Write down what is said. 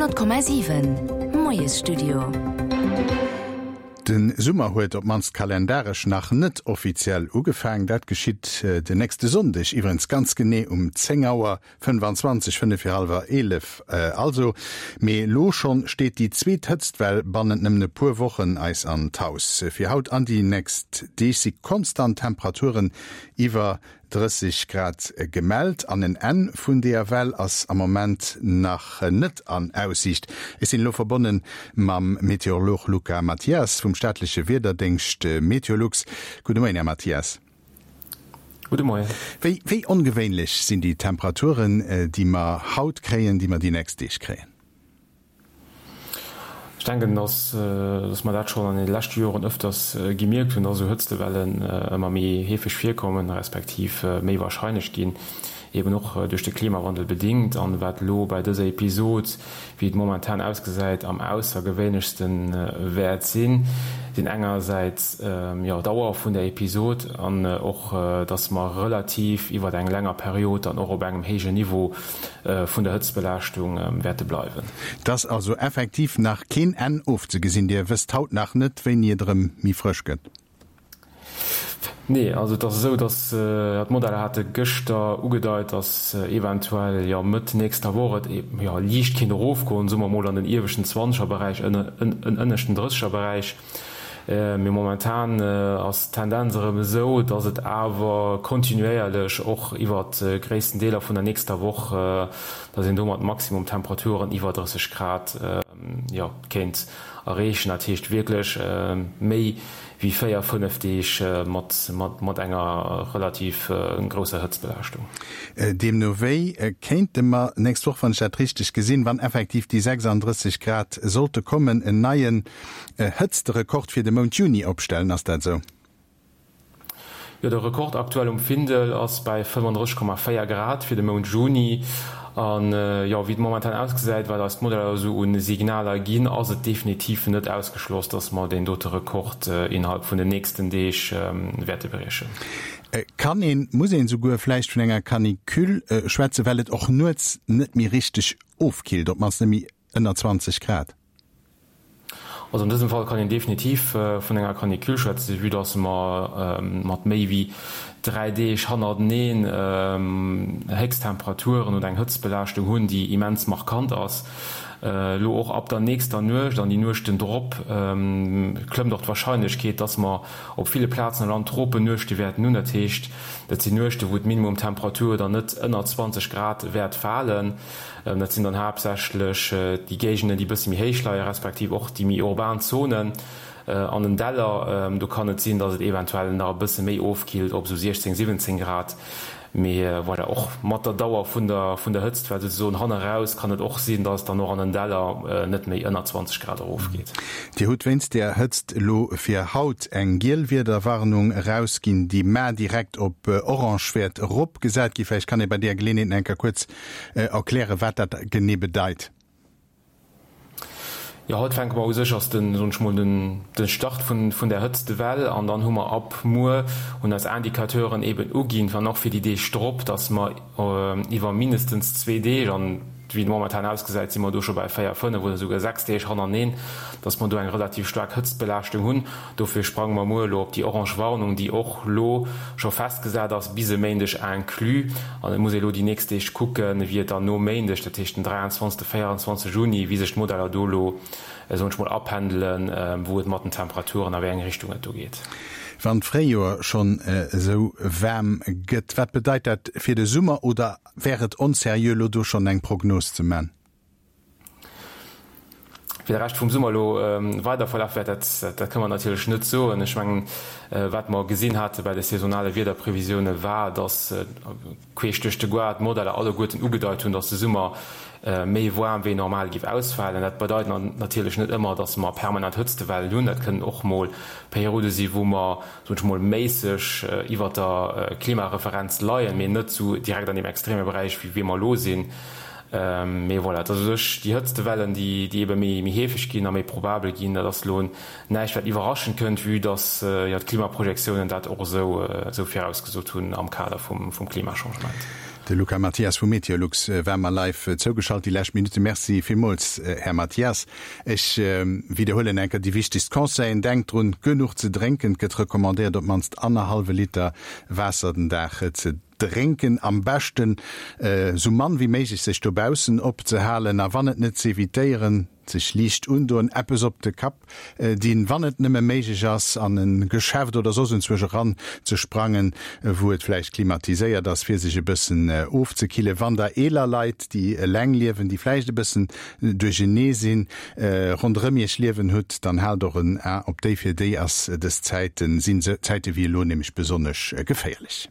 100,7 Moiesstudio. De Summer huet op d'mannst kalendaresch nach net offiziell ugefaang. Dat geschitt den nächste Sonndeg, iwwerens ganz genee um 10 Auer 25, fënnef vir hallwer 11 also. Mee elo schonn steet déi zweet Hëtztwell bannent nëmmen e puer Wochen eis an d'Haus. Fir haut an déi nächst Deeg si konstant Temperaturen iwwer 30 Grad gemellt an en Enn vun deeër Well ass am Moment nach net an Aussiicht. Ech sinn elo verbonne mam Meteorolog Luca Mathias vum staatleche Wiederdéngscht Meteolux. Gudde Moien, Här Mathias. Gudde Moien. Wéi, wéi ongewéinlech sinn déi Temperaturen, déi mer haut kréien, déi mer déi nächst Deeg kréien? Ech denken, dass, dass mer dat schonn an deene leschte Joren ëfters gemierkt hunn, dass esou Hëtztewellen ëmmer méi heefeg virkommen, respektiv méi warscheinlech ginn, eben och duerch de Klimawandel bedingt. An wat elo bei dëser Episod, wéi et momentan ausgesäit, am aussergewéinlechste wäert sinn, sinn engersäits, jo, d'Dauer vun der Episod an och, dass mer relativ iwwer eng länger Period dann och op engem héijen Niveau vun der Hëtztbelaaschtung wäerte bleiwen. Et ass also effektiv nach keen Enn ofzegesinn. Dir wësst haut nach net, wéini et erëm méi frësch gëtt? Nee, also et ass esou, datt d'Modeller hate gëschter ugedeit, datt eventuell jo Mëtt nächster Woch et jo liicht kéint erofgoen, soe mer mol an den ieweschten Zwanzegerberäich, en ënneschten Drëssegerberäich. Mee momentan ass d'Tendenz erëm esou, dass et awer kontinuéierlech och iwwert gréissten Deeler vun der nächster Woch, dass een do mat Maximumtemperaturen iwwer 30 Grad, jo, kéint erreechen. Dat heescht wierklech méi wéi 4, 5 Deeg mat enger relativ grousser Hëtztbelaaschtung. Deemno wéi kéinte mer nächst Woch, wann ech dat richteg gesinn, wann effektiv déi 36 Grad sollte kommen, en neien Hëtztrekord fir de Mount Juni opstellen, ass dat esou? Jo, de Rekord aktuell um Findel ass bäi 35,4 Grad fir de Mount Juni. An jo, wéi et momentan ausgesäit, wat eis d'Modeller esou u Signaler ginn, ass et definitiv net ausgeschloss, dass mer deen dote Rekord innerhalb vun den nächsten Deeg wäerte briechen. Kann een, muss een esouguer vläicht vun enger Canicule schwätzen, well et och nuets net méi richteg ofkillt, op d'mannst net méi ënner 20 Grad? Also an dësem Fall kann een definitiv vun enger Canicule schwätzen, vue dass mer mat méi wéi 3 Deeg hannerteneen Héchsttemperaturen oder eng Hëtztbelaaschtung hunn, déi immens markant ass. Elo och ab der nächster Nuecht an déi Nuechten drop klëmmt och d'Warscheinlechkeet, dass mer op ville Plazen am Land Tropennuechte wäerten hunn. Dat heescht, dat sinn Nuechte wou d'Minimumtemperatur dann net ënner 20 Grad wäert falen. Dat sinn dann haaptsächlech déi Géigenden, déi e bësse méi héich leien, respektiv och déi méi urban Zonen an den Däller. Do kann et sinn, datt et eventuell nach e bësse méi ofkillt op esou 16, 17 Grad. Mee voilà, och mat der Dauer vun der vun der Hëtztwell souzesoen hanneraus kann et och sinn, datt et dann och an den Däller net méi ënner 20 Grad erofgeet. Dir hutt wéinst där Hëtzt elo fir haut eng giel Wiederwarnung erausginn, déi mar direkt op orange wäert eropgesat ginn. Vläicht kann ee bei där Geleeënheet nach eng Kéier kuerz erklären, wat dat genee bedeit. Jo, haut fänke mer u sech, ass den, soen ech mol, den de Start vun vun där Hëtztwell an dann hu mer ab muer, hunn eis Indicateuren eben uginn, an och fir déi Deeg drop, dass mer iwwer mindestens zwee Deeg, an wéi et momentan ausgesäit, si mer do scho bei 4, 5 oder souguer 6 Deeg hannerneeen, dass mer do eng relativ staark Hëtztbelaaschtung hunn. Dofir sprange mer muer elo op déi orange Warnung, déi och elo scho festgesat ass, bis e Méindeg inclus. An et muss ee elo déi nächst Deeg kucken, wéi et dann nom Méindeg, dat heescht den 23., 24. Juni, wéi sech d'Modeller do elo, soen ech mol, apendelen, wou et mat den Temperaturen, a wéi eng Richtung et do geet. Wann d'Fréijoer schonn esou waarm gëtt, wat bedeit dat fir de Summer? Oder wär et onseriö, elo do schonn eng Prognos ze man? Wéi de Rescht vum Summer elo weider verlaf wäert, dat dat kënne mer natierlech net soen. Ech mengen, wat mer gesinn hate bei de saisonale Wiederprevisioune war, datt queesch duerch de Goart d'Modeller alleguerten ugedeit hunn, datt de Summer méi waarm wéi normal géif ausfalen. Dat bedeit natierlech net ëmmer, datt mer permanent Hëtztewellen hunn. Dat kënnen och mol Periode si wou mer, soen ech mol, méisseg iwwert der Klimareferenz leien, mee net esou direkt an deem extreme Beräich wéi mer elo sinn. Mee voilà, et ass u sech déi Hëtztewellen, déi déi ebe méi méi heefeg ginn a méi probabel ginn. Dat ass elo näischt, wat iwwerraschend kënnt, vue dass jo d'Klimaprojektiounen dat och esou esou virausgesot hunn am Kader vum vum Klimachangement. De Luca Mathias vu Meteolux war mer live zougeschalt déi lescht Minutten. Merci villmools, Här Mathias. Ech widderhuelen eng Kéier déi wichtegst Conseillen, Denkt drun, genuch ze drénken. Et gëtt recommandéiert, op d'mannst annerhallwe Liter Waasser den Dag ze drénken. Am beschten esou mann wéi méiglech sech dobaussen opzehalen a wann et net z'evitéieren, sech liicht undoen, eppes op de Kapp dinn, wann et nëmme méiglech ass, an e Geschäft oder soss enzwousch eran ze sprangen, wou et vläicht klimatiséiert ass, fir sech e bëssen ofzekillen. Wann der eeler Leit, déi eleng liewen, déi vläicht e bëssen duerchenee sinn, ronderëm iech liewen hutt, dann haalt och en A op déi. Fir déi ass dës Zäiten, sinn Zäite wéi elo nämlech besonnesch geféierlech.